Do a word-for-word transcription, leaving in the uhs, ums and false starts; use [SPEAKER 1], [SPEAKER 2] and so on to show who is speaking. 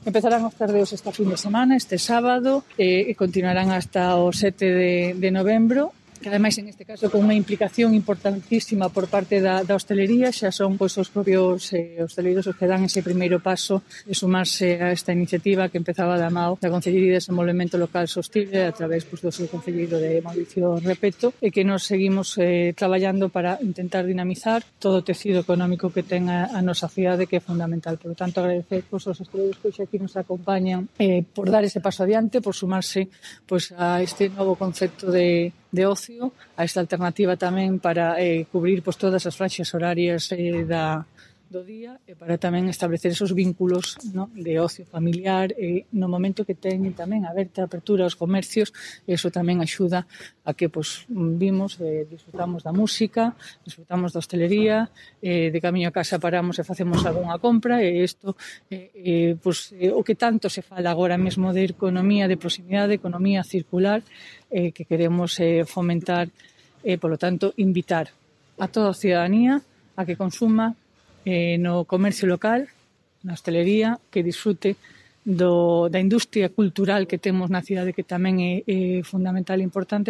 [SPEAKER 1] Empezarán os tardeos esta fin de semana, este sábado, e continuarán hasta o sete de novembro, que ademais en este caso con unha implicación importantísima por parte da, da hostelería. Xa son pois, os propios eh, hosteleiros os que dan ese primeiro paso de sumarse a esta iniciativa que empezaba da mao da Concellería de Desenvolvemento Local Sostible a través pois, do seu concelleiro de Mauricio Repeto, e que nos seguimos eh, traballando para intentar dinamizar todo o tecido económico que ten a, a nosa cidade, que é fundamental. Por lo tanto, agradecer pois, aos hosteleiros que hoxe aquí nos acompañan eh, por dar ese paso adiante, por sumarse pois, a este novo concepto de de ocio, a esta alternativa tamén para eh, cubrir pois, todas as franxas horarias eh, da, do día e para tamén establecer esos vínculos, no, de ocio familiar e eh, no momento que teñen tamén aberta a apertura aos comercios. Eso tamén axuda a que pois, vimos, eh, disfrutamos da música, disfrutamos da hostelería, eh, de camiño a casa paramos e facemos algunha compra, e isto eh, eh, pois, eh, o que tanto se fala agora mesmo de economía de proximidade, economía circular, eh, que queremos eh, fomentar, e, eh, polo tanto, invitar a toda a ciudadanía a que consuma eh, no comercio local, na hostelería, que disfrute do, da industria cultural que temos na cidade, que tamén é, é fundamental e importante.